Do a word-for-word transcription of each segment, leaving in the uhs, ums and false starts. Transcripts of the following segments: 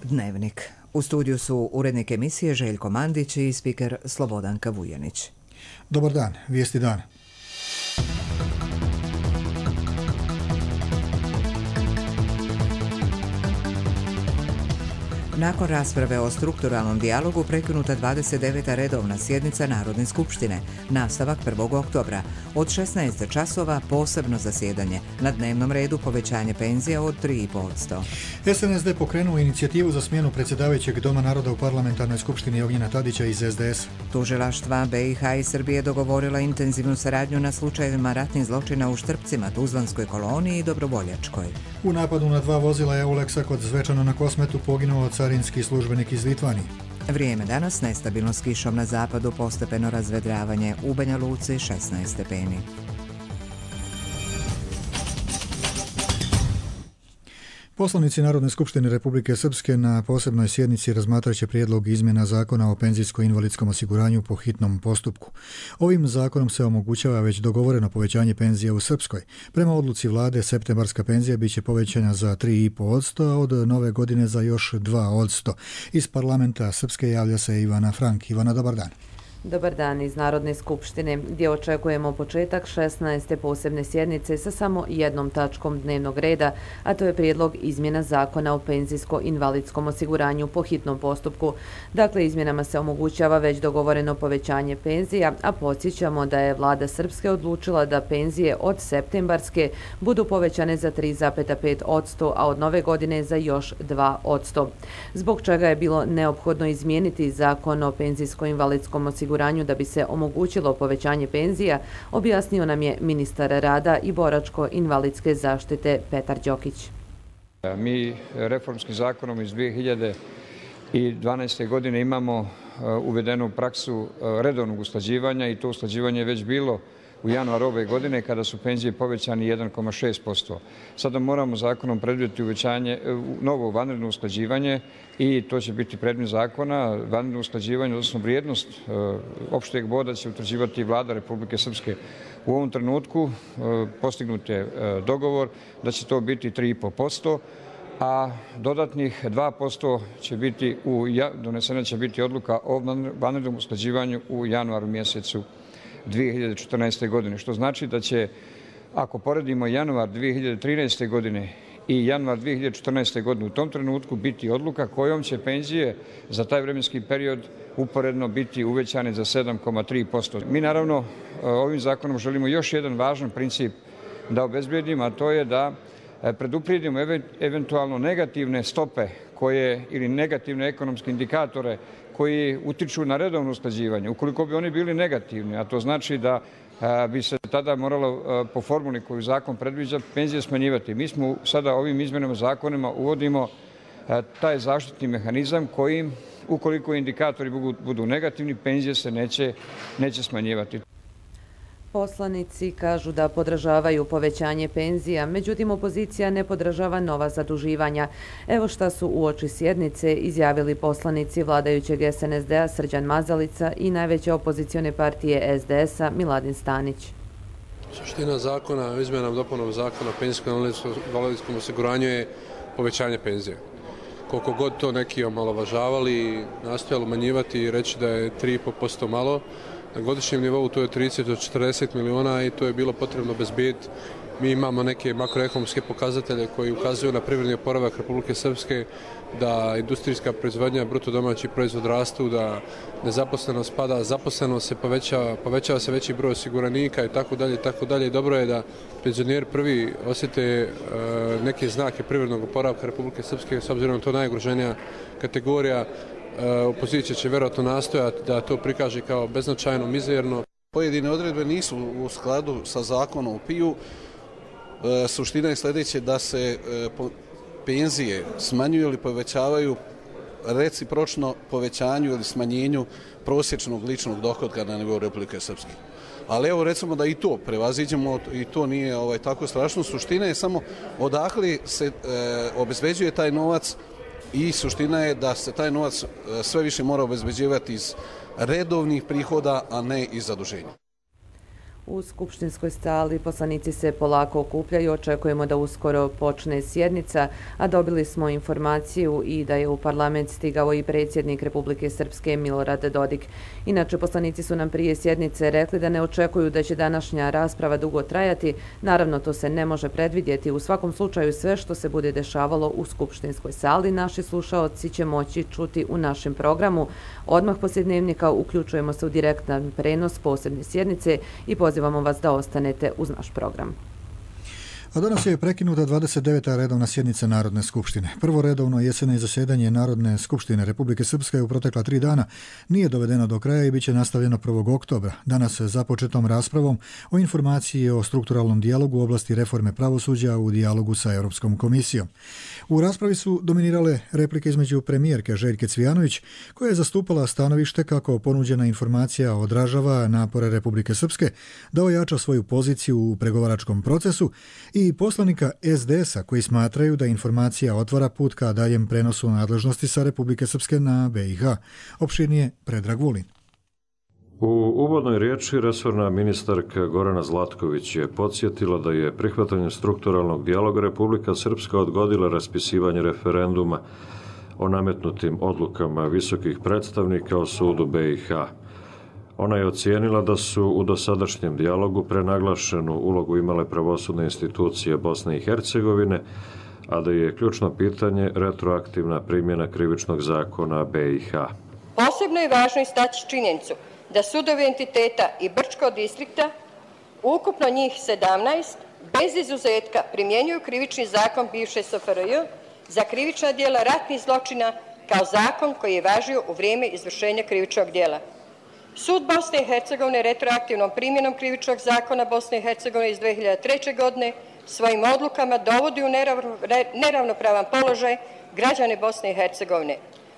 Dnevnik. U studiju su urednik emisije Željko Mandić i spiker Slobodanka Vujanić. Dobar dan, vijesti dana. Nakon rasprave o strukturalnom dijalogu prekinuta dvadeset deveta redovna sjednica Narodne skupštine, nastavak prvog oktobra. Od šesnaest časova posebno zasjedanje. Na dnevnom redu povećanje penzija od tri zarez pet posto. S N S D pokrenuo inicijativu za smjenu predsjedavajućeg Doma naroda u parlamentarnoj skupštini Ognjena Tadića iz S D S. Tužilaštva B i H i Srbije dogovorila intenzivnu saradnju na slučajevima ratnih zločina u Štrpcima, Tuzlanskoj koloniji i Dobrovoljačkoj. U napadu na dva vozila Euleksa kod Zvečana na Kosmetu poginuo carinski službenik iz Litvanije. Vrijeme danas nestabilno s kišom na zapadu, postepeno razvedravanje, u Banja Luci šesnaest stepeni. Poslanici Narodne skupštine Republike Srpske na posebnoj sjednici razmatrat će prijedlog izmjena zakona o penzijsko-invalidskom osiguranju po hitnom postupku. Ovim zakonom se omogućava već dogovoreno povećanje penzija u Srpskoj. Prema odluci vlade, septembarska penzija bit će povećana za tri zarez pet posto, a od nove godine za još dva posto. Iz parlamenta Srpske javlja se Ivana Frank. Ivana, dobar dan. Dobar dan iz Narodne skupštine, gdje očekujemo početak šesnaeste posebne sjednice sa samo jednom tačkom dnevnog reda, a to je prijedlog izmjena zakona o penzijsko-invalidskom osiguranju po hitnom postupku. Dakle, izmjenama se omogućava već dogovoreno povećanje penzija, a podsjećamo da je vlada Srpske odlučila da penzije od septembarske budu povećane za tri zarez pet posto, a od nove godine za još dva posto. Zbog čega je bilo neophodno izmijeniti zakon o penzijsko-invalidskom osiguranju da bi se omogućilo povećanje penzija, objasnio nam je ministar rada i boračko-invalidske zaštite Petar Đokić. Mi reformskim zakonom iz dvije hiljade dvanaeste. godine imamo uvedenu praksu redovnog usklađivanja i to usklađivanje je već bilo u januaru ove godine kada su penzije povećani jedan zarez šest posto. Sada moramo zakonom predvidjeti uvećanje, novo vanredno usklađivanje i to će biti predmet zakona. Vanredno usklađivanje, odnosno vrijednost opšteg boda će utvrđivati vlada Republike Srpske. U ovom trenutku postignut je dogovor da će to biti tri zarez pet posto, a dodatnih dva posto će biti, u, donesena će biti odluka o vanrednom usklađivanju u januaru mjesecu dvije hiljade četrnaeste. godine, što znači da će, ako poredimo januar dvije hiljade trinaeste. godine i januar dvije hiljade četrnaeste. godine, u tom trenutku biti odluka kojom će penzije za taj vremenski period uporedno biti uvećane za sedam zarez tri posto. Mi naravno ovim zakonom želimo još jedan važan princip da obezbijedimo, a to je da preduprijedimo eventualno negativne stope koje ili negativne ekonomske indikatore koji utiču na redovno usklađivanje. Ukoliko bi oni bili negativni, a to znači da bi se tada moralo po formuli koju zakon predviđa penzije smanjivati. Mi smo sada ovim izmjenama zakonima uvodimo taj zaštitni mehanizam kojim, ukoliko indikatori budu negativni, penzije se neće, neće smanjivati. Poslanici kažu da podržavaju povećanje penzija, međutim opozicija ne podržava nova zaduživanja. Evo šta su uoči sjednice izjavili poslanici vladajućeg S N S D-a Srđan Mazalica i najveće opozicione partije S D S-a Miladin Stanić. Suština zakona o izmjenama i dopunama zakona o penzijsko-invalidskom osiguranju je povećanje penzije. Koliko god to neki omalovažavali, nastojali umanjivati i reći da je tri zarez pet posto malo, na godišnjem nivou to je trideset do četrdeset miliona i to je bilo potrebno obezbediti. Mi imamo neke makroekonomske pokazatelje koji ukazuju na privredni oporavak Republike Srpske, da industrijska proizvodnja, bruto domaći proizvod rastu, da nezaposlenost pada, zaposlenost se povećava, povećava se veći broj osiguranika i tako dalje, tako dalje. Dobro je da penzioneri prvi osjete neke znake privrednog oporavka Republike Srpske, s obzirom na to najugroženija kategorija. Opozicija će vjerojatno nastojati da to prikaže kao beznačajno, mizerno. Pojedine odredbe nisu u skladu sa zakonom o P I U. Suština je sljedeće da se penzije smanjuju ili povećavaju recipročno povećanju ili smanjenju prosječnog ličnog dohotka na nivou Republike Srpske. Ali evo recimo da i to prevaziđemo i to nije ovaj, tako strašno. Suština je samo odakle se e, obezbeđuje taj novac i suština je da se taj novac sve više mora obezbeđivati iz redovnih prihoda, a ne iz zaduženja. U skupštinskoj sali poslanici se polako okupljaju, očekujemo da uskoro počne sjednica, a dobili smo informaciju i da je u parlament stigao i predsjednik Republike Srpske Milorad Dodik. Inače, poslanici su nam prije sjednice rekli da ne očekuju da će današnja rasprava dugo trajati. Naravno, to se ne može predvidjeti. U svakom slučaju, sve što se bude dešavalo u skupštinskoj sali, naši slušaoci će moći čuti u našem programu. Odmah poslije dnevnika uključujemo se u direktan prenos posebne sjednice i pozivamo vas da ostanete uz naš program. A danas je prekinuta dvadeset deveta redovna sjednica Narodne skupštine. Prvo redovno jeseno zasjedanje Narodne skupštine Republike Srpske u protekla tri dana nije dovedeno do kraja i bit će nastavljeno prvog oktobra. Danas započetom raspravom o informaciji o strukturalnom dijalogu u oblasti reforme pravosuđa u dijalogu sa Europskom komisijom. U raspravi su dominirale replike između premijerke Željke Cvijanović, koja je zastupala stanovište kako ponuđena informacija odražava napore Republike Srpske da ojača svoju poziciju u pregovaračkom procesu, i poslanika es de es a koji smatraju da informacija otvara put ka daljem prenosu nadležnosti sa Republike Srpske na be i ha. Opširnije Predrag Vulin. U uvodnoj riječi resorna ministarka Gorana Zlatković je podsjetila da je prihvatanjem strukturalnog dijaloga Republika Srpska odgodila raspisivanje referenduma o nametnutim odlukama visokih predstavnika o sudu be i ha. Ona je ocijenila da su u dosadašnjem dijalogu prenaglašenu ulogu imale pravosudne institucije Bosne i Hercegovine, a da je ključno pitanje retroaktivna primjena krivičnog zakona be i ha. Posebno je važno istaći činjenicu da sudovi entiteta i Brčkog distrikta, ukupno njih sedamnaest, bez izuzetka primjenjuju krivični zakon bivše es ef er je za krivična djela ratnih zločina kao zakon koji je važio u vrijeme izvršenja krivičnog djela. Sud Bosne i Hercegovine retroaktivnom primjenom krivičnog zakona Bosne i Hercegovine iz dve hiljade treće. godine svojim odlukama dovodi u neravnopravan položaj građane Bosne i Hercegovine.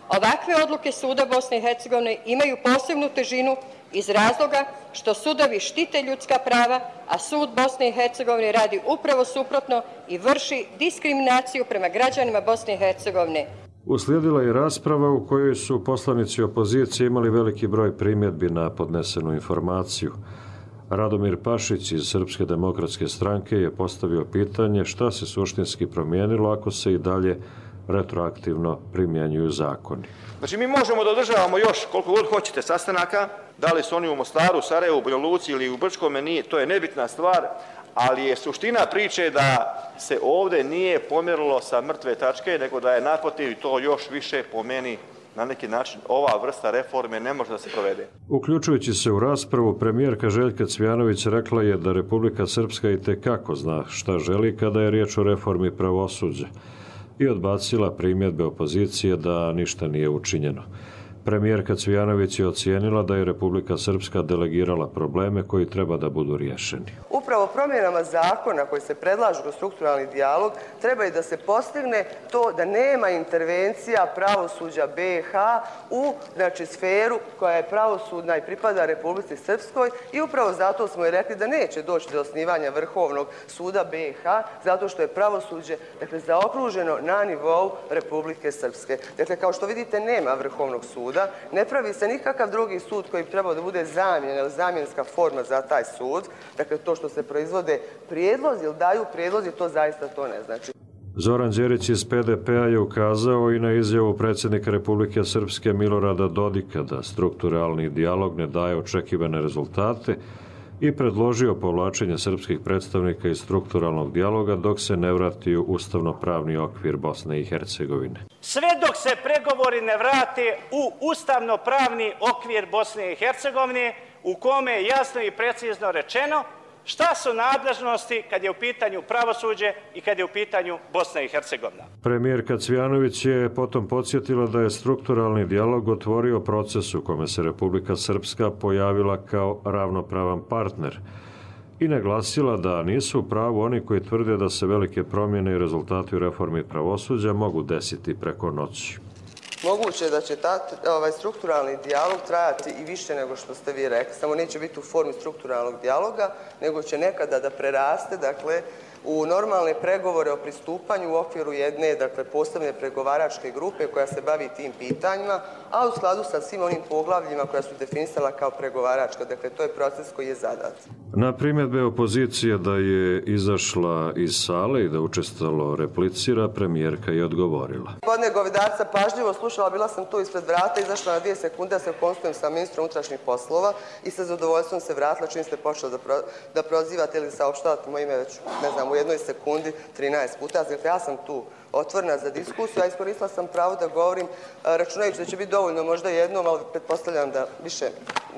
Ovakve odluke Suda Bosne i Hercegovine imaju posebnu težinu iz razloga što sudovi štite ljudska prava, a Sud Bosne i Hercegovine radi upravo suprotno i vrši diskriminaciju prema građanima Bosne i Hercegovine. Uslijedila je rasprava u kojoj su poslanici opozicije imali veliki broj primjedbi na podnesenu informaciju. Radomir Pašić iz Srpske demokratske stranke je postavio pitanje šta se suštinski promijenilo ako se i dalje retroaktivno primjenjuju zakoni. Znači mi možemo da održavamo još koliko god hoćete sastanaka, da li su oni u Mostaru, Sarajevu, Banja Luci ili u Brčkome, nije, to je nebitna stvar, ali je suština priče da se ovdje nije pomjerilo sa mrtve tačke, nego da je naprotiv to još više po meni na neki način ova vrsta reforme ne može da se provede. Uključujući se u raspravu, premijerka Željka Cvijanović rekla je da Republika Srpska itekako zna šta želi kada je riječ o reformi pravosuđa i odbacila primjedbe opozicije da ništa nije učinjeno. Premijerka Cvijanović je ocijenila da je Republika Srpska delegirala probleme koji treba da budu riješeni. Upravo promjenama zakona koji se predlažu kroz strukturalni dijalog treba i da se postigne to da nema intervencija pravosuđa be i ha u znači, sferu koja je pravosudna i pripada Republici Srpskoj i upravo zato smo i rekli da neće doći do osnivanja Vrhovnog suda be i ha zato što je pravosuđe dakle, zaokruženo na nivou Republike Srpske. Dakle, kao što vidite, nema Vrhovnog suda. Ne pravi se nikakav drugi sud koji bi trebao da bude zamjena ili zamjenska forma za taj sud. Dakle, to što se proizvode prijedlozi ili daju prijedlozi, to zaista to ne znači. Zoran Đerić iz pe de pe a je ukazao i na izjavu predsjednika Republike Srpske Milorada Dodika da strukturalni dijalog ne daje očekivane rezultate i predložio povlačenje srpskih predstavnika iz strukturalnog dijaloga dok se ne vrati u ustavno-pravni okvir Bosne i Hercegovine. Sve dok se pregovori ne vrate u ustavno-pravni okvir Bosne i Hercegovine, u kome je jasno i precizno rečeno šta su nadležnosti kad je u pitanju pravosuđe i kad je u pitanju Bosna i Hercegovina. Premijerka Cvijanović je potom podsjetila da je strukturalni dijalog otvorio proces u kome se Republika Srpska pojavila kao ravnopravan partner i naglasila da nisu u pravu oni koji tvrde da se velike promjene i rezultati u reformi pravosuđa mogu desiti preko noći. Moguće je da će ta, ovaj strukturalni dijalog trajati i više nego što ste vi rekli. Samo neće biti u formi strukturalnog dijaloga, nego će nekada da preraste, dakle, u normalne pregovore o pristupanju u okviru jedne, dakle, posebne pregovaračke grupe koja se bavi tim pitanjima, a u skladu sa svim onim poglavljima koja su definisala kao pregovaračka. Dakle, to je proces koji je zadat. Na primjedbe opozicije da je izašla iz sale i da učestalo replicira, premijerka je odgovorila. Gospodine Govedarca, pažljivo slušala, bila sam tu ispred vrata, izašla na dvije sekunde da se konsultujem sa ministrom unutrašnjih poslova i sa zadovoljstvom se vratila čim ste počeli da, pro, da prozivate ili saopštavate moje ime već, ne znam, u jednoj sekundi trinaest puta. Dakle, ja sam tu otvorena za diskusiju, a iskoristila sam pravo da govorim, računajući da će biti dovoljno možda jednom, ali pretpostavljam da više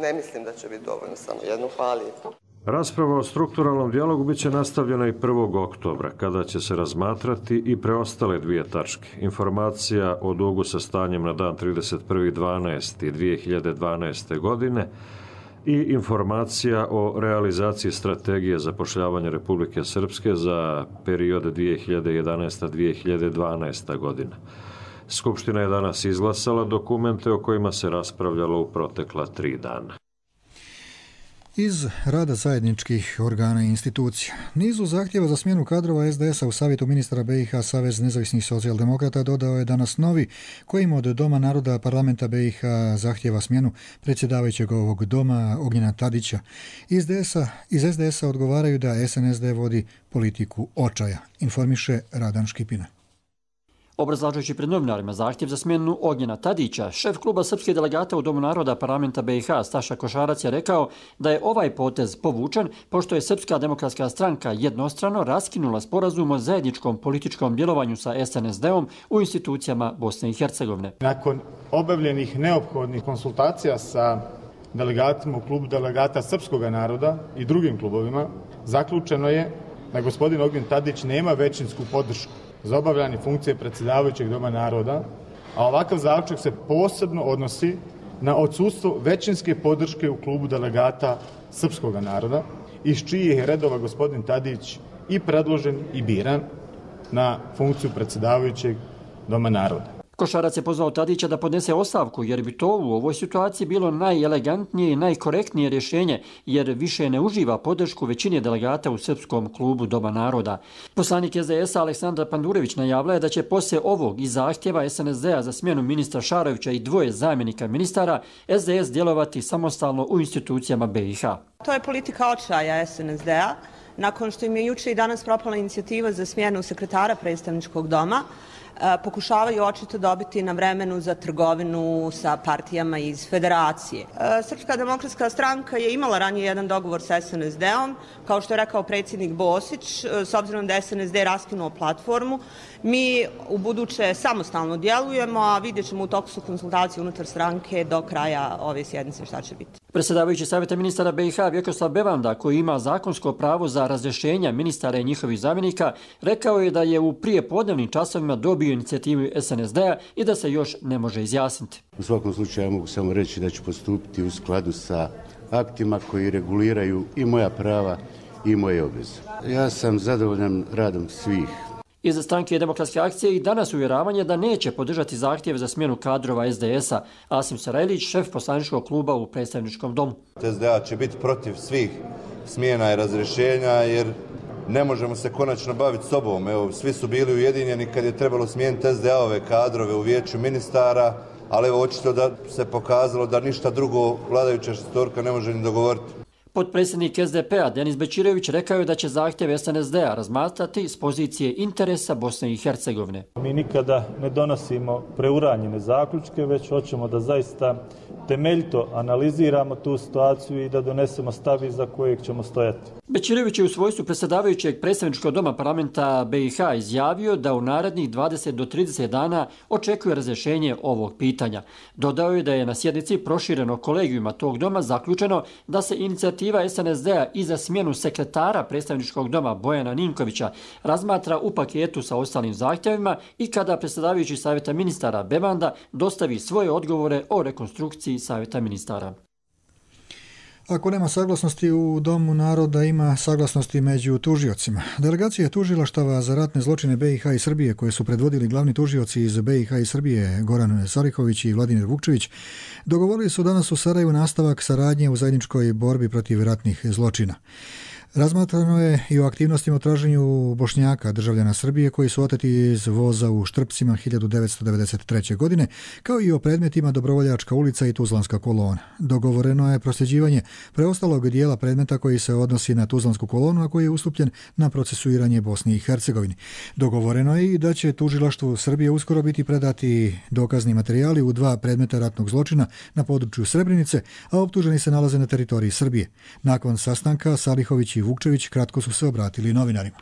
ne mislim da će biti dovoljno samo jednom. Hvala lijepo. Rasprava o strukturalnom dijalogu bit će nastavljena i prvog oktobra, kada će se razmatrati i preostale dvije tačke. Informacija o dugu sa stanjem na dan trideset prvi dvanaesti dvije hiljade dvanaeste. godine i informacija o realizaciji strategije zapošljavanja Republike Srpske za period dvije hiljade jedanaesta do dvije hiljade dvanaeste. godina. Skupština je danas izglasala dokumente o kojima se raspravljalo u protekla tri dana. Iz rada zajedničkih organa i institucija. Nizu zahtjeva za smjenu kadrova es de es a u savjetu ministra be i ha Savez nezavisnih socijaldemokrata dodao je danas novi, kojim od Doma naroda parlamenta be i ha zahtjeva smjenu predsjedavajućeg ovog doma Ognjena Tadića. Iz, de es a, iz es de es a odgovaraju da es en es de vodi politiku očaja, informiše Radan Škipina. Obrazlažujući pred novinarima zahtjev za smjenu Ognjena Tadića, šef kluba srpskih delegata u Domu naroda parlamenta be i ha Staša Košarac je rekao da je ovaj potez povučen pošto je Srpska demokratska stranka jednostrano raskinula sporazum o zajedničkom političkom djelovanju sa es en es de-om u institucijama Bosne i Hercegovine. Nakon obavljenih neophodnih konsultacija sa delegatima u klubu delegata srpskog naroda i drugim klubovima, zaključeno je da gospodin Ognjen Tadić nema većinsku podršku za obavljanje funkcije predsjedavajućeg Doma naroda, a ovakav zaključak se posebno odnosi na odsustvo većinske podrške u klubu delegata srpskog naroda, iz čijih je redova gospodin Tadić i predložen i biran na funkciju predsjedavajućeg Doma naroda. Košarac je pozvao Tadića da podnese ostavku, jer bi to u ovoj situaciji bilo najelegantnije i najkorektnije rješenje, jer više ne uživa podršku većine delegata u Srpskom klubu Doma naroda. Poslanik es de es a Aleksandar Pandurević najavila je da će poslije ovog i zahtjeva es en es de a za smjenu ministra Šarovića i dvoje zamjenika ministara es de es djelovati samostalno u institucijama be i ha. To je politika očaja es en es de a. Nakon što im je juče i danas propala inicijativa za smjenu sekretara predstavničkog doma, pokušavaju očito dobiti na vremenu za trgovinu sa partijama iz federacije. Srpska demokratska stranka je imala ranije jedan dogovor sa es en es de-om, kao što je rekao predsjednik Bosić, s obzirom da es en es de raskinuo platformu. Mi u buduće samostalno djelujemo, a vidjet ćemo u toku su konsultacije unutar stranke do kraja ove sjednice šta će biti. Predsjedavajući savjeta ministara be i ha Vjekoslav Bevanda, koji ima zakonsko pravo za razrješenja ministara i njihovih zamjenika, rekao je da je u prijepodnevnim časovima dobio inicijativu es en es de-a i da se još ne može izjasniti. U svakom slučaju ja mogu samo reći da ću postupiti u skladu sa aktima koji reguliraju i moja prava i moje obveze. Ja sam zadovoljan radom svih. Iz stranke Demokratske akcije i danas uvjeravanje da neće podržati zahtjev za smjenu kadrova es de es a. Asim Sarajlić, šef poslaničkog kluba u predstavničkom domu. es de a će biti protiv svih smjena i razrješenja jer ne možemo se konačno baviti sobom. Evo, svi su bili ujedinjeni kad je trebalo smijeniti es de a-ove kadrove u vijeću ministara, ali evo očito da se pokazalo da ništa drugo vladajuća šestorka ne može ni dogovoriti. Potpredsjednik es de pe-a Denis Bećirević rekao je da će zahtjev es en es de-a razmatrati s pozicije interesa Bosne i Hercegovine. Mi nikada ne donosimo preuranjene zaključke, već hoćemo da zaista temeljito analiziramo tu situaciju i da donesemo stav iza kojeg ćemo stojati. Bećirević je u svojstvu predsjedavajućeg predstavničkog doma parlamenta be i ha izjavio da u narednih dvadeset do trideset dana očekuje razrješenje ovog pitanja. Dodao je da je na sjednici proširenog kolegijuma tog doma zaključeno da se inicijativa es en es de-a i za smjenu sekretara predstavničkog doma Bojana Ninkovića razmatra u paketu sa ostalim zahtjevima i kada predsjedavajući savjeta ministara Bevanda dostavi svoje odgovore o rekonstrukciji savjeta ministara. Ako nema saglasnosti u Domu naroda, ima saglasnosti među tužiocima. Delegacija tužilaštava za ratne zločine be i ha i Srbije, koje su predvodili glavni tužioci iz be i ha i Srbije, Goran Sarihović i Vladimir Vukčević, dogovorili su danas u Sarajevu nastavak saradnje u zajedničkoj borbi protiv ratnih zločina. Razmatrano je i o aktivnostima u traženju Bošnjaka, državljana Srbije, koji su oteti iz voza u Štrpcima hiljadu devetsto devedeset treće. godine, kao i o predmetima Dobrovoljačka ulica i Tuzlanska kolona. Dogovoreno je prosljeđivanje preostalog dijela predmeta koji se odnosi na Tuzlansku kolonu, a koji je ustupljen na procesuiranje Bosni i Hercegovini. Dogovoreno je i da će tužilaštvu Srbije uskoro biti predati dokazni materijali u dva predmeta ratnog zločina na području Srebrenice, a optuženi se nalaze na teritoriji Srbije. Nakon sastanka Salihović i Vukčević kratko su se obratili novinarima.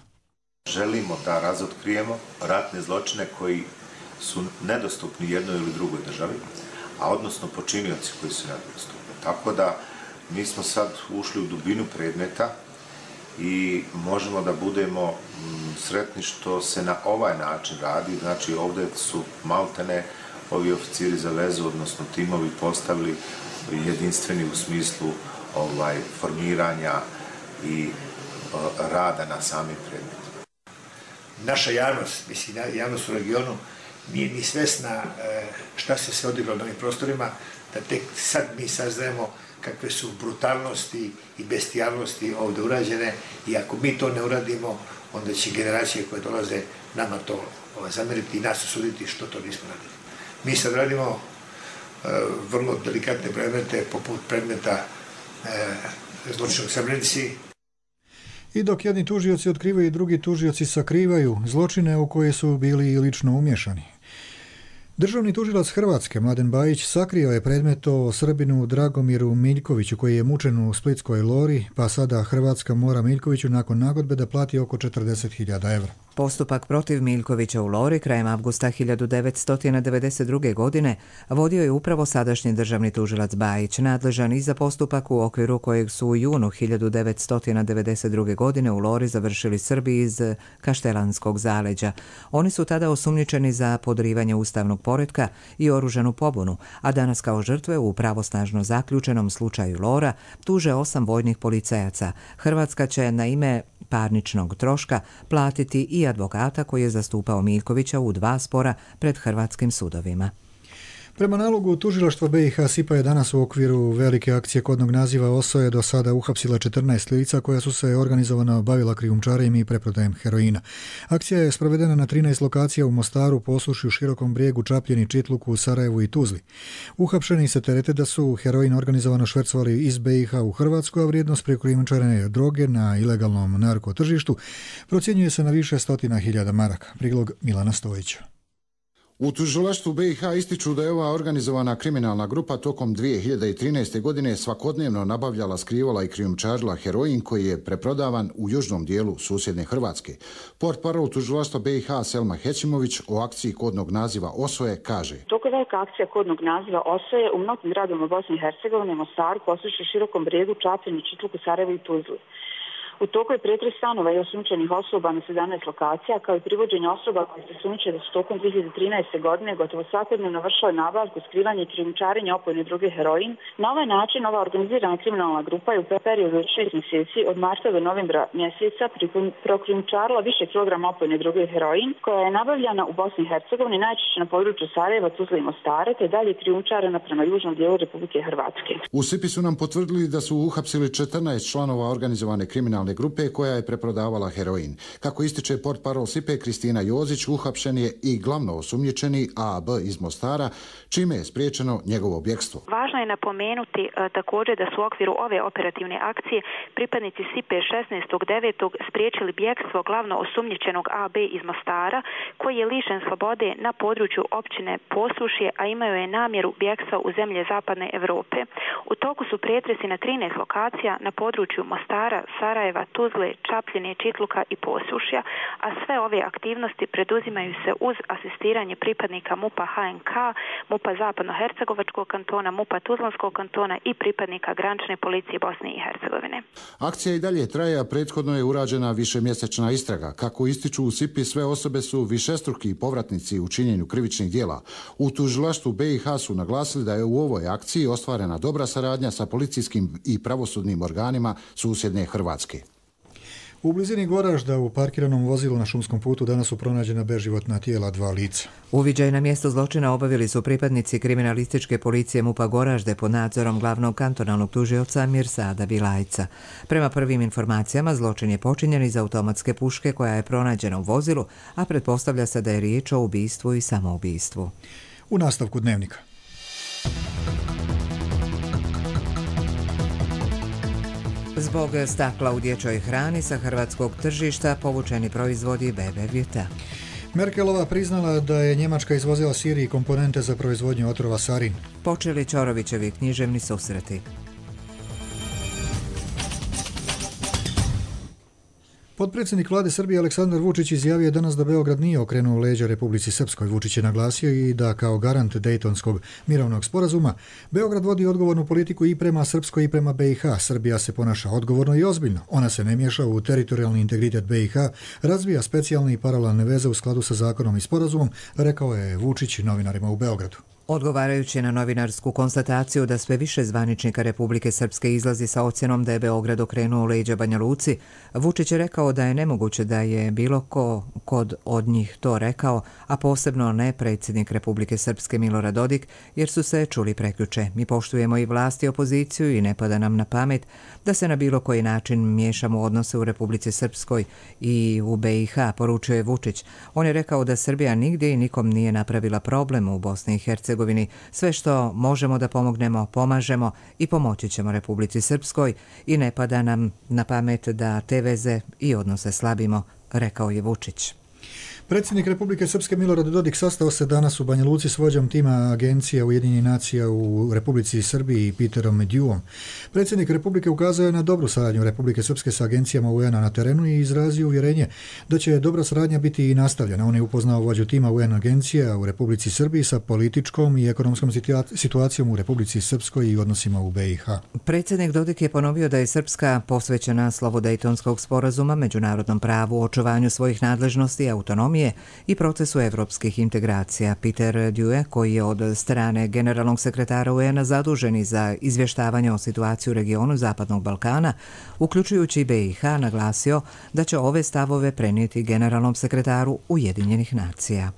Želimo da razotkrijemo ratne zločine koji su nedostupni jednoj ili drugoj državi, a odnosno počinioci koji su nedostupni. Tako da mi smo sad ušli u dubinu predmeta i možemo da budemo sretni što se na ovaj način radi. Znači ovdje su maltene ovi oficiri za vezu, odnosno timovi postavili jedinstveni u smislu ovaj, formiranja i rada na samim predmetima. Naša javnost, mislim, javnost u regionu nije ni svesna šta se sve odigralo na ovim prostorima, da tek sad mi saznajemo kakve su brutalnosti i bestijalnosti ovdje urađene i ako mi to ne uradimo, onda će generacije koje dolaze nama to zameriti i nas osuditi što to nismo radili. Mi sad radimo vrlo delikatne predmete poput predmeta zločina u Srebrenici. I dok jedni tužioci otkrivaju, drugi tužioci sakrivaju zločine u koje su bili i lično umješani. Državni tužilac Hrvatske, Mladen Bajić, sakrio je predmet o Srbinu Dragomiru Miljkoviću, koji je mučen u splitskoj Lori, pa sada Hrvatska mora Miljkoviću nakon nagodbe da plati oko četrdeset hiljada evra. Postupak protiv Miljkovića u Lori krajem avgusta hiljadu devetsto devedeset druge. godine vodio je upravo sadašnji državni tužilac Bajić, nadležan i za postupak u okviru kojeg su u junu hiljadu devetsto devedeset druge. godine u Lori završili Srbi iz Kaštelanskog zaleđa. Oni su tada osumnjičeni za podrivanje ustavnog poretka i oružanu pobunu, a danas kao žrtve u pravosnažno zaključenom slučaju Lora tuže osam vojnih policajaca. Hrvatska će na ime parničnog troška platiti i advokata koji je zastupao Miljkovića u dva spora pred hrvatskim sudovima. Prema nalogu tužilaštva B i H SIPA je danas u okviru velike akcije kodnog naziva Osoje do sada uhapsila četrnaest lica koja su se organizovano bavila krijumčarenjem i preprodajem heroina. Akcija je sprovedena na trinaest lokacija u Mostaru, Posušju, Širokom Brijegu, Čapljini, Čitluku, Sarajevu i Tuzli. Uhapšeni se terete da su heroin organizovano švercovali iz B i H u Hrvatsku, a vrijednost prekrijumčarene droge na ilegalnom narkotržištu procjenjuje se na više stotina hiljada maraka. Prilog Milana Stojića. U tužilaštvu B i H ističu da je ova organizovana kriminalna grupa tokom dvije hiljade trinaeste. godine svakodnevno nabavljala, skrivala i krijumčarila heroin koji je preprodavan u južnom dijelu susjedne Hrvatske. Portparol tužilaštva B i H Selma Hećimović o akciji kodnog naziva Osoje kaže: Toko je velika akcija kodnog naziva Osoje u mnogim gradovima Bosne i Hercegovine, Mostaru, Posušju, Širokom Brijegu, Čapljini, Čitluku, Sarajevu i Tuzli. U toku je pretres stanova i osumnjičenih osoba na sedamnaest lokacija, kao i privođenje osoba koje se sumnjiče da su tokom dvije hiljade trinaeste. godine gotovo svakodnevno vršile nabavku, skrivanje i krijumčarenje opojne droge heroin. Na ovaj način ova organizirana kriminalna grupa je u periodu od šest mjeseci od marta do novembra mjeseca prokrijumčarila više kilograma opojne droge heroin, koja je nabavljana u Bosni i Hercegovini, najčešće na području Sarajeva, Tuzle i Mostara, te dalje krijumčarena prema južnom dijelu Republike Hrvatske. U SIPI su nam potvrdili da su uhapsili četrnaest članova organizovane kriminalne grupe koja je preprodavala heroin. Kako ističe portparol SIPE Kristina Jozić, uhapšen je i glavno osumnjičeni A A B iz Mostara, čime je spriječeno njegovo bjekstvo. Važno je napomenuti e, također da su u okviru ove operativne akcije pripadnici SIPE šesnaestog devetog spriječili bjekstvo glavno osumnjičenog A B iz Mostara, koji je lišen slobode na području općine Posušje, a imaju je namjeru bjekstva u zemlje zapadne Europe. U toku su pretresi na trinaest lokacija na području Mostara, Sarajeva, Tuzle, Čapljine, Čitluka i Posušja, a sve ove aktivnosti preduzimaju se uz asistiranje pripadnika MUP-a H N K, MUP-a Zapadno-Hercegovačkog kantona, MUP-a Tuzlanskog kantona i pripadnika granične policije Bosne i Hercegovine. Akcija i dalje traje, a prethodno je urađena višemjesečna istraga. Kako ističu u SIPI, sve osobe su višestruki povratnici u činjenju krivičnih djela. U tužilaštvu B i H su naglasili da je u ovoj akciji ostvarena dobra saradnja sa policijskim i pravosudnim organima susjedne Hrvatske. U blizini Goražda u parkiranom vozilu na šumskom putu danas su pronađena beživotna tijela dva lica. Uviđaj na mjesto zločina obavili su pripadnici kriminalističke policije MUP-a Goražde pod nadzorom glavnog kantonalnog tužioca Mirsada Bilajca. Prema prvim informacijama, zločin je počinjen iz automatske puške koja je pronađena u vozilu, a pretpostavlja se da je riječ o ubistvu i samoubistvu. U nastavku dnevnika. Zbog stakla u dječjoj hrani sa hrvatskog tržišta povučeni proizvodi B B Vita. Merkelova priznala da je Njemačka izvozila Siriji komponente za proizvodnju otrova sarin. Počeli Ćorovićevi književni susreti. Potpredsjednik vlade Srbije Aleksandar Vučić izjavio je danas da Beograd nije okrenuo leđa Republici Srpskoj. Vučić je naglasio i da kao garant Dejtonskog mirovnog sporazuma Beograd vodi odgovornu politiku i prema Srpskoj i prema B i H. Srbija se ponaša odgovorno i ozbiljno. Ona se ne miješa u teritorijalni integritet B i H, razvija specijalne i paralelne veze u skladu sa zakonom i sporazumom, rekao je Vučić novinarima u Beogradu. Odgovarajući na novinarsku konstataciju da sve više zvaničnika Republike Srpske izlazi sa ocjenom da je Beograd okrenuo leđa Banja Luci, Vučić je rekao da je nemoguće da je bilo ko kod od njih to rekao, a posebno ne predsjednik Republike Srpske Milorad Dodik, jer su se čuli prekjuče. Mi poštujemo i vlast i opoziciju i ne pada nam na pamet da se na bilo koji način miješamo u odnose u Republici Srpskoj i u B i H, poručio je Vučić. On je rekao da Srbija nigdje i nikom nije napravila problem u Bosni i Hercegovini. Sve što možemo da pomognemo, pomažemo i pomoći ćemo Republici Srpskoj i ne pada nam na pamet da te veze i odnose slabimo, rekao je Vučić. Predsjednik Republike Srpske Milorad Dodik sastao se danas u Banja Luci s vođom tima Agencija Ujedinjenih nacija u Republici Srbiji Peterom Medjuom. Predsjednik Republike ukazao je na dobru saradnju Republike Srpske sa agencijama U N-a na terenu i izrazio uvjerenje da će dobra saradnja biti i nastavljena. On je upoznao vođu tima U N agencija u Republici Srbiji sa političkom i ekonomskom situacijom u Republici Srpskoj i odnosima u B i H. Predsjednik Dodik je ponovio da je Srpska posvećena slovu Dejtonskog sporazuma, međunarodnom pravu, očuvanju svojih nadležnosti i autonomije i procesu evropskih integracija. Peter Due, koji je od strane generalnog sekretara U N-a zaduženi za izvještavanje o situaciji u regionu Zapadnog Balkana, uključujući B i H, naglasio da će ove stavove prenijeti generalnom sekretaru Ujedinjenih nacija.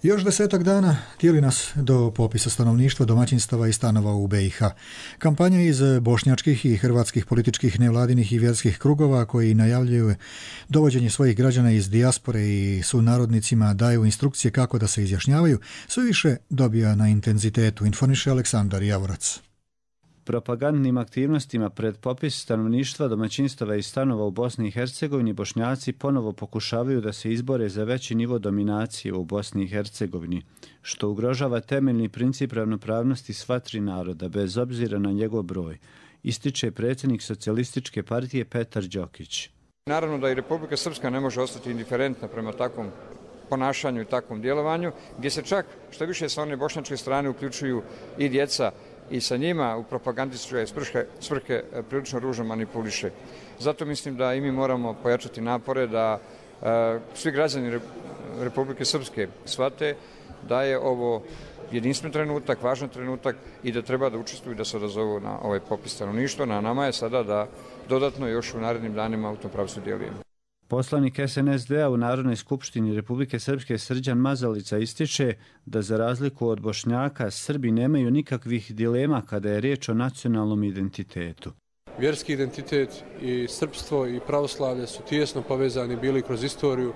Još desetak dana tijeli nas do popisa stanovništva, domaćinstava i stanova u B i H. Kampanja iz bošnjačkih i hrvatskih političkih, nevladinih i vjerskih krugova koji najavljuju dovođenje svojih građana iz dijaspore i sunarodnicima daju instrukcije kako da se izjašnjavaju, sve više dobija na intenzitetu, informiše Aleksandar Javorac. Propagandnim aktivnostima pred popis stanovništva, domaćinstava i stanova u Bosni i Hercegovini Bošnjaci ponovo pokušavaju da se izbore za veći nivo dominacije u Bosni i Hercegovini, što ugrožava temeljni princip ravnopravnosti sva tri naroda, bez obzira na njegov broj, ističe predsjednik Socijalističke partije Petar Đokić. Naravno da i Republika Srpska ne može ostati indiferentna prema takvom ponašanju i takvom djelovanju, gdje se čak, što više sa one bošnjačke strane, uključuju i djeca i sa njima u propagandističke svrhe, svrhe prilično ružno manipuliše. Zato mislim da i mi moramo pojačati napore da e, svi građani Republike Srpske shvate da je ovo jedinstven trenutak, važan trenutak i da treba da učestvuju i da se odazovu na ovaj popis stanovništva. Na nama je sada da dodatno još u narednim danima u tom pravcu djelujemo. Poslanik S N S D-a u Narodnoj skupštini Republike Srpske Srđan Mazalica ističe da za razliku od Bošnjaka, Srbi nemaju nikakvih dilema kada je riječ o nacionalnom identitetu. Vjerski identitet i srpstvo i pravoslavlje su tijesno povezani bili kroz istoriju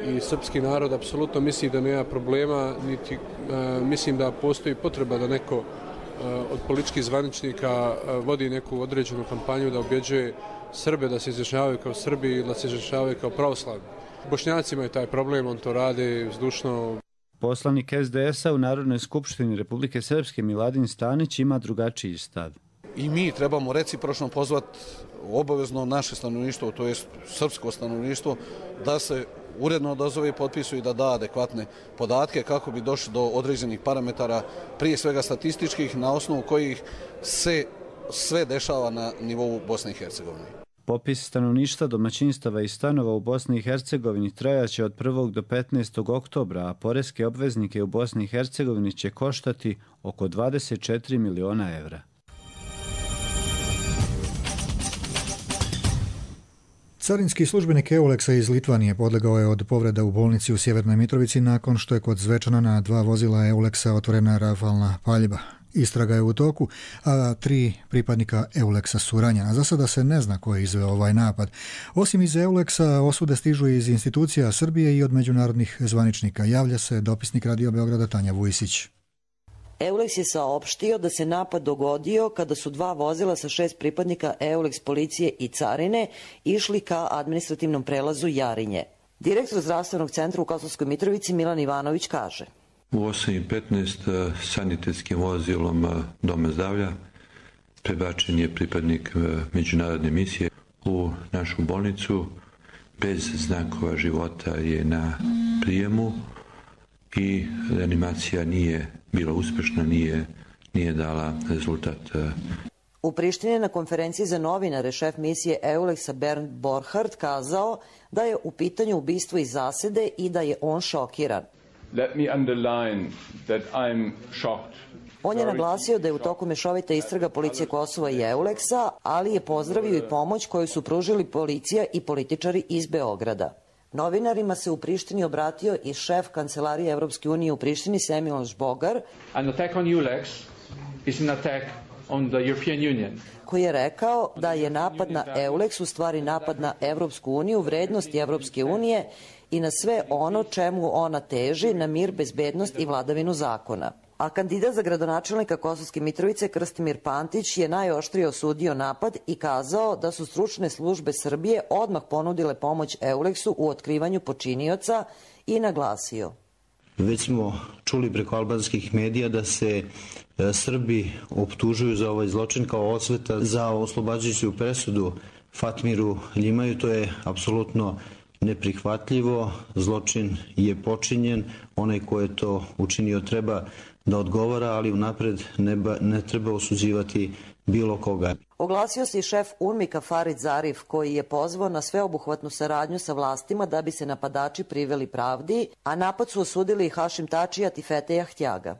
i srpski narod apsolutno misli da nema problema, niti e, mislim da postoji potreba da neko e, od političkih zvaničnika e, vodi neku određenu kampanju da objeđuje Srbe da se izjašnjavaju kao Srbi ili da se izjašnjavaju kao pravoslavni. Bošnjaci imaju taj problem, on to rade vzdušno. Poslanik S D S-a u Narodnoj skupštini Republike Srpske Miladin Stanić ima drugačiji stav. I mi trebamo recipročno pozvati obavezno naše stanovništvo, to je srpsko stanovništvo, da se uredno odazove i potpisuju i da da adekvatne podatke kako bi došli do određenih parametara, prije svega statističkih, na osnovu kojih se sve dešava na nivou Bosne i Hercegovine. Popis stanovništva, domaćinstava i stanova u Bosni i Hercegovini trajaće od prvog do petnaestog oktobra, a poreske obveznike u Bosni i Hercegovini će koštati oko dvadeset četiri miliona evra. Carinski službenik Euleksa iz Litvanije podlegao je od povreda u bolnici u Sjevernoj Mitrovici nakon što je kod Zvečana na dva vozila Euleksa otvorena rafalna paljba. Istraga je u toku, a tri pripadnika Euleksa su ranjena. Za sada se ne zna ko je izveo ovaj napad. Osim iz Euleksa, osude stižu iz institucija Srbije i od međunarodnih zvaničnika. Javlja se dopisnik Radio Beograda Tanja Vujisić. Euleks je saopštio da se napad dogodio kada su dva vozila sa šest pripadnika Euleks policije i carine išli ka administrativnom prelazu Jarinje. Direktor zdravstvenog centra u Kosovskoj Mitrovici Milan Ivanović kaže: U osam i petnaest sanitetskim vozilom Doma zdravlja prebačen je pripadnik međunarodne misije u našu bolnicu. Bez znakova života je na prijemu i reanimacija nije bila uspešna, nije, nije dala rezultat. U Prištini na konferenciji za novinare šef misije Euleksa Bernd Borchardt kazao da je u pitanju ubistvo iz zasede i da je on šokiran. Let me underline that I'm shocked. On je naglasio da je u toku mešovita istraga policije Kosova i Euleksa, ali je pozdravio i pomoć koju su pružili policija i političari iz Beograda. Novinarima se u Prištini obratio i šef Kancelarije Evropske unije u Prištini Semiloš Bogar, An attack on Euleks is an attack on the European Union. koji je rekao da je napad na Euleks u stvari napad na Evropsku uniju, vrednosti Evropske unije i na sve ono čemu ona teži, na mir, bezbednost i vladavinu zakona. A kandidat za gradonačelnika Kosovske Mitrovice Krstimir Pantić je najoštrije osudio napad i kazao da su stručne službe Srbije odmah ponudile pomoć Euleksu u otkrivanju počinioca i naglasio: Već smo čuli preko albanskih medija da se Srbi optužuju za ovaj zločin kao osveta za oslobađajuću presudu Fatmiru Ljimaju. To je apsolutno neprihvatljivo. Zločin je počinjen. Onaj ko je to učinio treba da odgovara, ali unapred ne, ba, ne treba osuđivati bilo koga. Oglasio se i šef UNMIK-a Farid Zarif, koji je pozvao na sveobuhvatnu saradnju sa vlastima da bi se napadači priveli pravdi, a napad su osudili i Hašim Tačijat i Feteja Htjaga.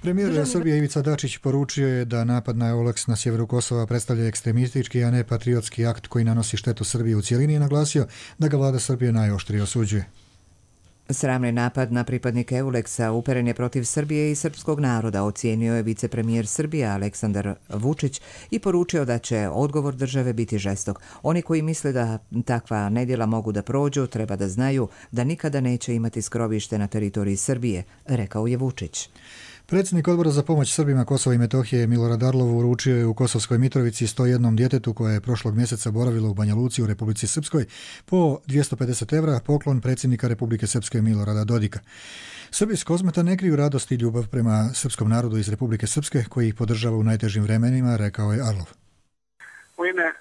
Premijer Državni... Srbije Ivica Dačić poručio je da napad na Euleks na sjeveru Kosova predstavlja ekstremistički, a ne patriotski akt koji nanosi štetu Srbiji u cijelini i naglasio da ga vlada Srbije najoštrije osuđuje. Sramni napad na pripadnike Euleksa uperen je protiv Srbije i srpskog naroda, ocijenio je vicepremijer Srbije Aleksandar Vučić i poručio da će odgovor države biti žestok. Oni koji misle da takva nedjela mogu da prođu, treba da znaju da nikada neće imati skrovište na teritoriji Srbije, rekao je Vučić. Predsjednik Odbora za pomoć Srbima Kosova i Metohije Milorad Arlov uručio je u Kosovskoj Mitrovici sto jednom djetetu koje je prošlog mjeseca boravilo u Banja Luci u Republici Srpskoj po dvjesto pedeset evra poklon predsjednika Republike Srpske Milorada Dodika. Srbi iz Kozmeta ne kriju radost i ljubav prema srpskom narodu iz Republike Srpske koji ih podržava u najtežim vremenima, rekao je Arlov. U ime uh,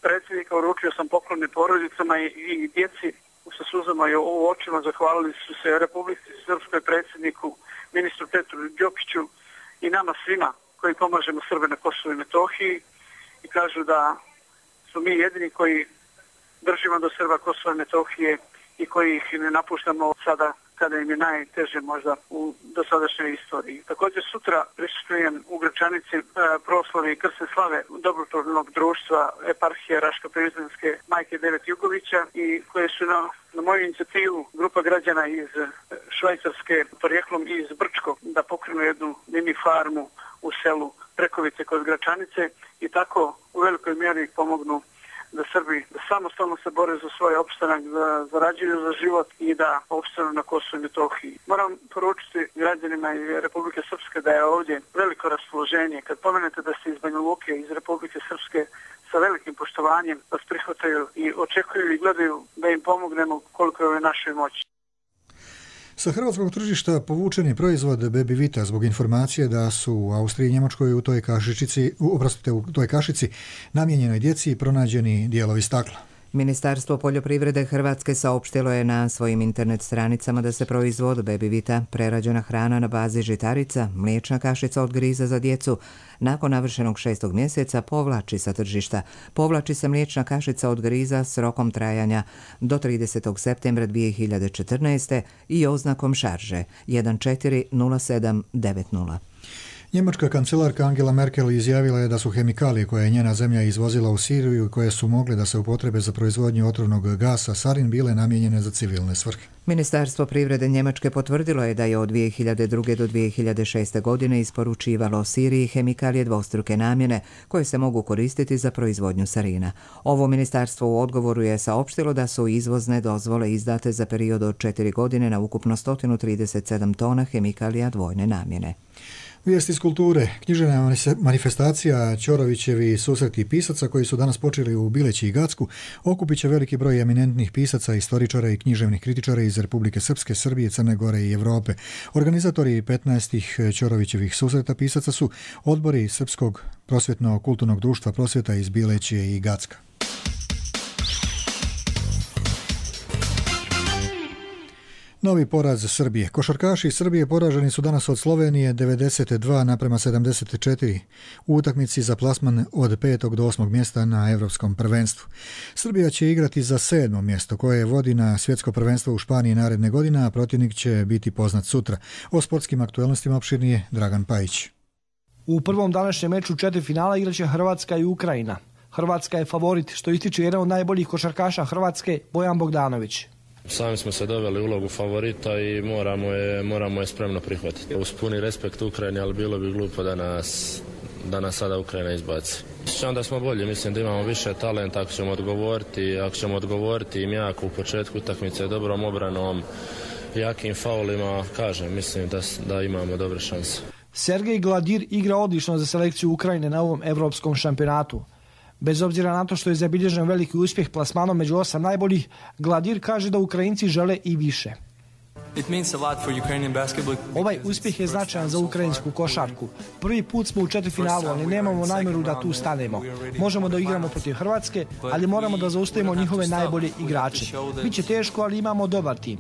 predsjednika uručio sam poklone porodicama i, i djeci sa suzama i u očima. Zahvalili su se Republici Srpskoj, predsjedniku, ministru Petru Đokiću i nama svima koji pomažemo Srbe na Kosovu i Metohiji i kažu da su mi jedini koji držimo do Srba Kosova i Metohije i koji ih ne napuštamo sada kada im je najteže možda u dosadašnjoj istoriji. Također sutra prisustvujem u Gračanici e, proslavi krsne slave dobrotvornog društva eparhije Raško-Prizrenske majke Devet Jugovića i koje su na, na moju inicijativu grupa građana iz Švajcarske porijeklom iz Brčko da pokrenu jednu mini farmu u selu Prekovice kod Gračanice i tako u velikoj mjeri pomognu da Srbi da samostalno se bore za svoj opstanak, da zarađuju za život i da opstanu na Kosovu i Metohiji. Moram poručiti građanima iz Republike Srpske da je ovdje veliko raspoloženje. Kad pomenete da ste iz Banja Luke, iz Republike Srpske, sa velikim poštovanjem vas prihvataju i očekuju i gledaju da im pomognemo koliko je u našoj moći. Sa hrvatskog tržišta povučen je proizvod Baby Vita zbog informacije da su u Austriji i Njemačkoj u toj kašičici, oprostite, u toj kašici namijenjenoj djeci pronađeni dijelovi stakla. Ministarstvo poljoprivrede Hrvatske saopštilo je na svojim internet stranicama da se proizvod Baby Vita, prerađena hrana na bazi žitarica, mliječna kašica od griza za djecu, nakon navršenog šestog mjeseca povlači sa tržišta. Povlači se mliječna kašica od griza s rokom trajanja do tridesetog septembra dvije hiljade četrnaeste. i oznakom šarže jedan četiri nula sedam devet nula. Njemačka kancelarka Angela Merkel izjavila je da su hemikalije koje je njena zemlja izvozila u Siriju i koje su mogle da se upotrebe za proizvodnju otrovnog gasa sarin bile namijenjene za civilne svrhe. Ministarstvo privrede Njemačke potvrdilo je da je od dvije hiljade druge do dvije hiljade šeste. godine isporučivalo Siriji hemikalije dvostruke namjene koje se mogu koristiti za proizvodnju sarina. Ovo ministarstvo u odgovoru je saopštilo da su izvozne dozvole izdate za period od četiri godine na ukupno sto trideset sedam tona hemikalija dvojne namjene. Vijesti iz kulture. Književna manifestacija Ćorovićevi susreti pisaca koji su danas počeli u Bileći i Gacku okupit će veliki broj eminentnih pisaca, istoričara i književnih kritičara iz Republike Srpske, Srbije, Crne Gore i Europe. Organizatori petnaestih Ćorovićevih susreta pisaca su odbori Srpskog prosvjetno-kulturnog društva prosvjeta iz Bilećije i Gacka. Novi poraz Srbije. Košarkaši Srbije poraženi su danas od Slovenije devedeset dva naprema sedamdeset četiri u utakmici za plasman od petog do osmog mjesta na Evropskom prvenstvu. Srbija će igrati za sedmo mjesto koje vodi na svjetsko prvenstvo u Španiji naredne godine, a protivnik će biti poznat sutra. O sportskim aktualnostima opširnije Dragan Pajić. U prvom današnjem meču četiri finala igraće Hrvatska i Ukrajina. Hrvatska je favorit, što ističe jedan od najboljih košarkaša Hrvatske, Bojan Bogdanović. Sami smo se doveli u ulogu favorita i moramo je, moramo je spremno prihvatiti. Uz puni respekt Ukrajini, ali bilo bi glupo da nas, da nas sada Ukrajina izbaci. Sjećam da smo bolji, mislim da imamo više talenta ako ćemo odgovoriti, ako ćemo odgovoriti im jako u početku utakmice dobrom obranom, jakim faulima, kažem, mislim da, da imamo dobre šanse. Sergej Gladir igra odlično za selekciju Ukrajine na ovom evropskom šampionatu. Bez obzira na to što je zabilježen veliki uspjeh plasmanom među osam najboljih, Gladir kaže da Ukrajinci žele i više. Ovaj uspjeh je značajan za ukrajinsku košarku. Prvi put smo u četvrtfinalu, ali nemamo namjeru da tu stanemo. Možemo da igramo protiv Hrvatske, ali moramo da zaustavimo njihove najbolje igrače. Biće teško, ali imamo dobar tim.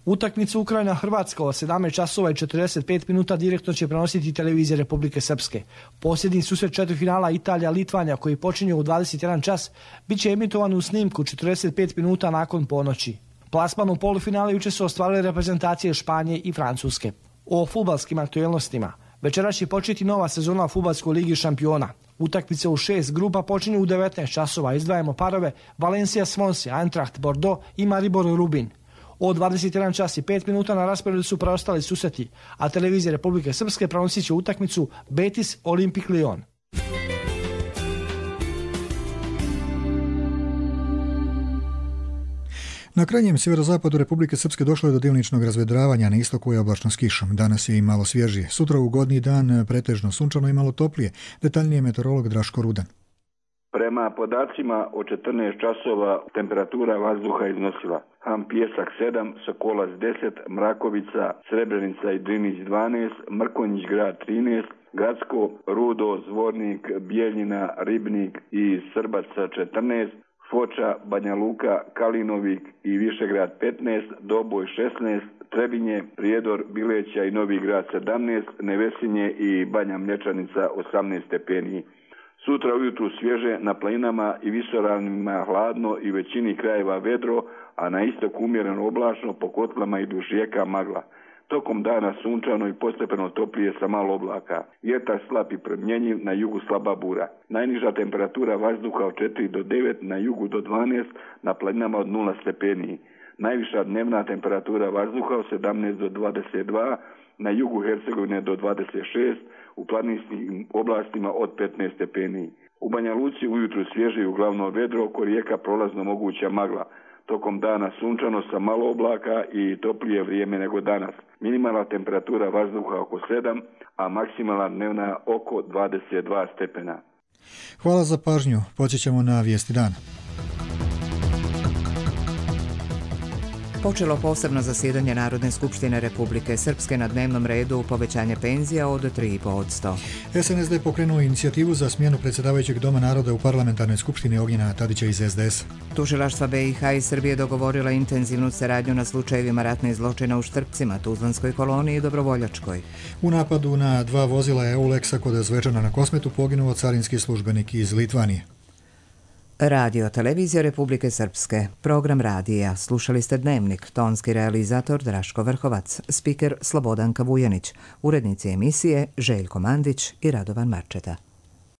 Utakmicu Ukrajina-Hrvatska od sedamnaest časova i četrdeset pet minuta direktno će prenositi televizija Republike Srpske. Posljednji susret četvrtfinala Italija-Litvanja koji počinje u dvadeset jedan čas bit će emitovan u snimku četrdeset pet minuta nakon ponoći. Plasman u polufinale juče su ostvarile reprezentacije Španije i Francuske. O fudbalskim aktualnostima. Večeras će početi nova sezona u fudbalskoj ligi šampiona. Utakmice u šest grupa počinju u devetnaest časova. Izdvajamo parove Valencia Swansea, Eintracht Bordeaux i Maribor Rubin. Od dvadeset jedan čas i pet minuta na rasporedu su preostali susreti, a televizija Republike Srpske prenosit će utakmicu Betis Olimpik Lyon. Na krajnjem sjeverozapadu Republike Srpske došlo je do djelimičnog razvedravanja, na istoku je oblačno s kišom. Danas je i malo svježije. Sutra ugodniji dan, pretežno sunčano i malo toplije. Detaljnije meteorolog Draško Rudan. Prema podacima od četrnaest časova temperatura vazduha iznosila Ham Pijesak sedam, Sokolac deset, Mrakovica, Srebrenica i Drinić dvanaest, Mrkonjić grad trinaest, Gacko, Rudo, Zvornik, Bijeljina, Ribnik i Srbaca četrnaest, Foča, Banja Luka, Kalinovik i Višegrad petnaest, Doboj šesnaest, Trebinje, Prijedor, Bileća i Novi grad sedamnaest, Nevesinje i Banja Mlječanica osamnaest stepeni. Sutra ujutru svježe, na planinama i visoravnima hladno i većini krajeva vedro, a na istoku umjereno oblačno, po kotlama i duž rijeka magla. Tokom dana sunčano i postepeno toplije sa malo oblaka. Vjetar slab i promjenjiv, na jugu slaba bura. Najniža temperatura vazduha od četiri do devet, na jugu do dvanaest, na planinama od nula stepeni. Najviša dnevna temperatura vazduha od sedamnaest do dvadeset dva, na jugu Hercegovine do dvadeset šest, u planinskim oblastima od petnaest stepeni. U Banja Luci ujutru svježe i uglavnom vedro, oko rijeka prolazno moguća magla. Tokom dana sunčano sa malo oblaka i toplije vrijeme nego danas. Minimalna temperatura vazduha oko sedam, a maksimalna dnevna oko dvadeset dva stepena. Hvala za pažnju. Počećemo na vijesti dana. Počelo posebno zasjedanje Narodne skupštine Republike Srpske, na dnevnom redu povećanje penzija od tri i pet posto. S N S D pokrenuo inicijativu za smjenu predsjedavajućeg Doma naroda u parlamentarnoj skupštini Ognjena Tadića iz S D S. Tužilaštva B i H i Srbije dogovorila intenzivnu saradnju na slučajevima ratnih zločina u Štrpcima, Tuzlanskoj koloniji i Dobrovoljačkoj. U napadu na dva vozila Eulexa kod Zvečana na Kosmetu poginuo carinski službenik iz Litvanije. Radio Televizija Republike Srpske. Program radija. Slušali ste Dnevnik. Tonski realizator Draško Vrhovac. Spiker Slobodanka Vujanić. Urednici emisije Željko Mandić i Radovan Marčeta.